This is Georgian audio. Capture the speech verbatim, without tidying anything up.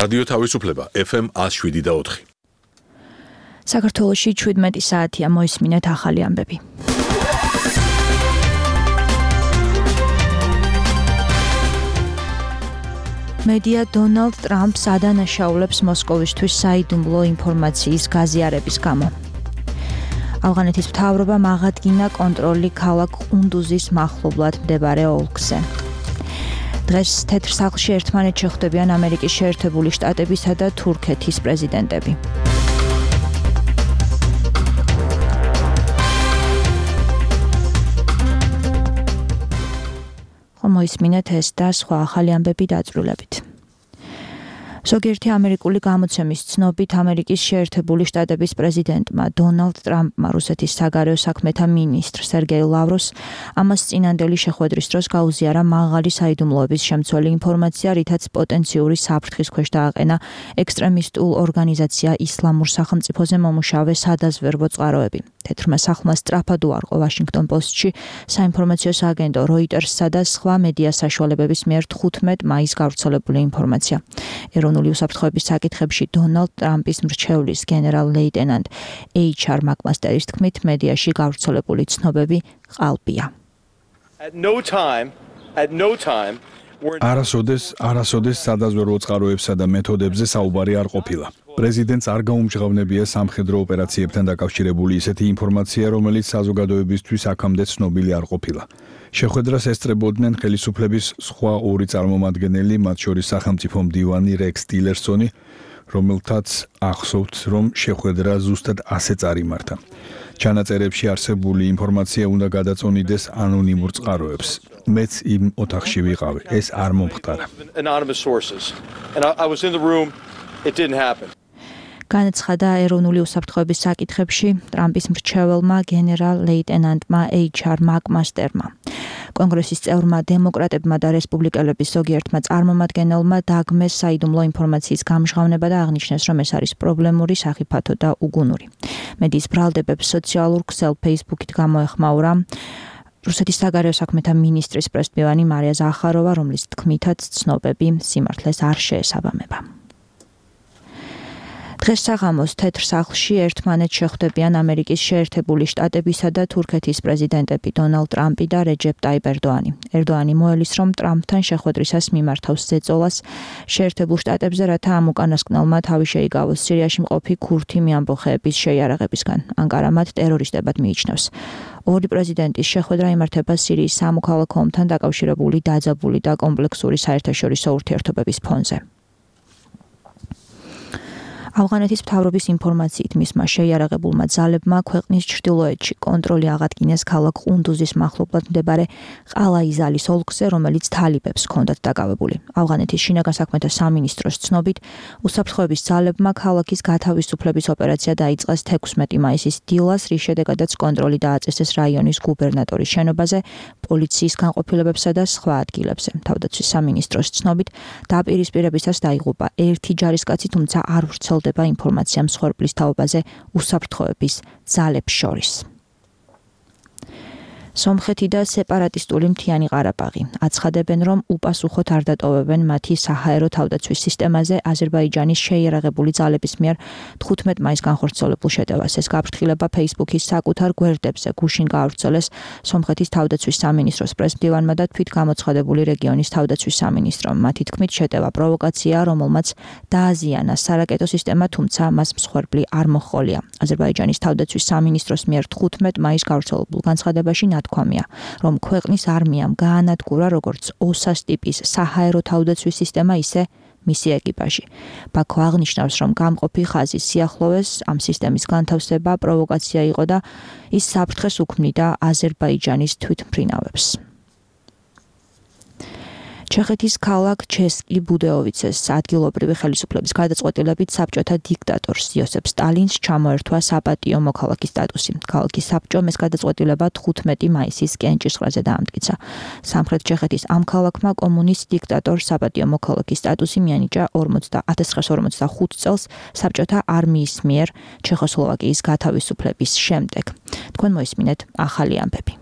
რადიო თავისუფლება ეფ ემ one oh seven point four. საქართველოში შვიდმეტი საათია, მოისმინეთ ახალი ამბები. მედია დონალდ ტრამპს ადანაშაულებს მოსკოვისთვის საიდუმლო ინფორმაციის გაზიარების გამო. ავღანეთის მთავრობამ აღადგინა კონტროლი ქალაქ ყუნდუზის მახლობლად მდებარე ოლქზე. დღეს თეთრ სახლში ერთმანეთს შეხვდებიან ამერიკის შეერთებული შტატებისა და თურქეთის პრეზიდენტები. მოისმინეთ ეს და სხვა ახალი ამბები დაწვრილებით. ზოგიერთი ამერიკული გამოცემის ცნობით ამერიკის შეერთებული შტატების პრეზიდენტმა დონალდ ტრამპმა რუსეთის საგარეო საქმეთა მინისტრ სერგეი ლავროვს ამას წინანდელი შეხვედრის დროს გაუზიარა მაღალი საიდუმლოების შემცველი ინფორმაცია, რითაც პოტენციური საფრთხის ქვეშ დააყენა ექსტრემისტულ ორგანიზაცია ისლამურ სახელმწიფოზე მომუშავე სადაზვერვო წყაროები. თეთრმა სახლმა სწრაფად უარყო ვაშინგტონ პოსტში საინფორმაციო სააგენტო როიტერსსა და სხვა მედია საშუალებების მიერ თხუთმეტ მაისს გავრცელებული ინფორმაცია. ეროვნული უსაფრთხოების საკითხებში დონალდ ტრამპის მრჩევლის გენერალ-ლეიტენანტ ეიჩ არ მაკმასტერის თქმით, მედიაში გავრცელებული ცნობები ყალბია. არასოდეს, არასოდეს სადაზვერვო წყაროებსა და მეთოდებზე საუბარი არ ყოფილა. პრეზიდენტს არ გაუმჟღავნებია სამხედრო ოპერაციებთან დაკავშირებული ისეთი ინფორმაცია, რომელიც საზოგადოებისთვის აქამდე ცნობილი არ ყოფილა. შეხვედრას ესწრებოდნენ ხელისუფლების სხვა ორი წარმომადგენელი, მათ შორის სახელმწიფო მდივანი რექს ტილერსონი, რომელთაც ახსოვთ, რომ შეხვედრა ზუსტად ასე წარიმართა. ჩანაწერებში არსებული ინფორმაცია უნდა გადაწონიდეს ანონიმურ წყაროებს. მეც იმ ოთახში ვიყავი, ეს არ მომხდარა. განაცხადა ეროვნული უსაფრთხოების საკითხებში ტრამპის მრჩეველმა გენერალ-ლეიტენანტმა ეიჩ არ მაკმასტერმა. კონგრესის წევრმა დემოკრატებმა და რესპუბლიკელების ზოგიერთმა წარმომადგენელმა დაგმეს საიდუმლო ინფორმაციის გამჟღავნება და აღნიშნეს, რომ ეს არის პრობლემური, სახიფათო და უგუნური. მედიის ბრალდებებს სოციალურ ქსელ ფეისბუქით გამოეხმაურა რუსეთის საგარეო საქმეთა მინისტრის პრესმდივანი მარია ზახაროვა, რომლის თქმითაც ცნობები სიმართლეს არ შეესაბამება. დღეს საღამოს თეთრ სახლში ერთმანეთს შეხვდებიან ამერიკის შეერთებული შტატებისა და თურქეთის პრეზიდენტები დონალდ ტრამპი და რეჯეპ ტაიპ ერდოანი. ერდოანი მოელის, რომ ტრამპთან შეხვედრისას მიმართავს ზეწოლას შეერთებულ შტატებზე, რათა ამ უკანასკნელმა თავი შეიგავოს სირიაში მყოფი ქურთი მეამბოხეების შეიარაღებისგან. ანკარა მათ ტერორისტებად მიიჩნევს. ორი პრეზიდენტის შეხვედრა იმართება სირიის სამოქალაქო ომთან დაკავშირებული დაძაბული და კომპლექსური საერთაშორისო ურთიერთობების ფონზე. ავღანეთის მთავრობის ინფორმაციით მისმა შეიარაღებულმა ძალებმა ქვეყნის ჩრდილოეთში კონტროლი აღადგინეს ქალაქ ყუნდუზის მახლობლად მდებარე ყალაიზალის ოლქზე, რომელიც თალიბებს ჰქონდათ დაკავებული. ავღანეთის შინაგან საქმეთა სამინისტროს ცნობით, უსაფრთხოების ძალებმა ქალაქის გათავისუფლების ოპერაცია დაიწყეს თექვსმეტი მაისის დილას, რის შედეგადაც კონტროლი დააწესეს რაიონის გუბერნატორის შენობაზე, პოლიციის განყოფილებებსა და სხვა ადგილებზე. თავდაცვის სამინისტროს ცნობით, დაპირისპირებისას დაიღუპა ერთი ჯარისკაცი, თუმცა არ ვრცელდება ინფორმაცია მსხვერპლის თაობაზე უსაფრთხოების ძალებს შორის. სომხეთი და სეპარატისტული მთიანი ყარაბაღი აცხადებენ, რომ უპასუხოდ არ დატოვებენ მათი საჰაერო თავდაცვის სისტემაზე აზერბაიჯანის შეიარაღებული ძალების მიერ თხუთმეტ მაისს განხორციელებულ შეტევას. ეს გაფრთხილება ფეისბუქის საკუთარ გვერდებზე გუშინ გაავრცელეს სომხეთის თავდაცვის სამინისტროს პრესმდივანმა და თვით გამოცხადებული რეგიონის თავდაცვის სამინისტრომ. მათი თქმით, შეტევა პროვოკაციაა, რომელმაც დააზიანა სარაკეტო სისტემა, თუმცა მას მსხვერპლი არ მოჰყოლია. აზერბაიჯანის თავდაცვის სამინისტროს მიერ თხუთმეტ მაისს გავრცელებულ განცხადებაში თქვამია, რომ ქვეყნის არმიამ გაანადგურა როგორც ოსას ტიპის საჰაერო თავდაცვის სისტემა, ისე მისი ეკიპაჟი. ბაქო აღნიშნავს, რომ გამყოფი ხაზის სიახლოვეს ამ სისტემის განთავსება პროვოკაცია იყო და ის საფრთხეს უქმნიდა აზერბაიჯანის თვითმფრინავებს. ჩეხეთის ქალაქ ჩესკი ბუდეოვიცეს ადგილობრივი ხელისუფლების გადაწყვეტილებით საბჭოთა დიქტატორს იოსებ სტალინს ჩამოერთვა საპატიო მოქალაქის სტატუსი. ქალაქის საბჭომ ეს გადაწყვეტილება თხუთმეტი მაისის კენჭისყრაზე დაამტკიცა. სამხრეთ ჩეხეთის ამ ქალაქმა კომუნისტ დიქტატორს საპატიო მოქალაქის სტატუსი მიანიჭა ათას ცხრაასი ორმოცდახუთ წელს საბჭოთა არმიის მიერ ჩეხოსლოვაკიის გათავისუფლების შემდეგ. თქვენ მოისმინეთ ახალი ამბები.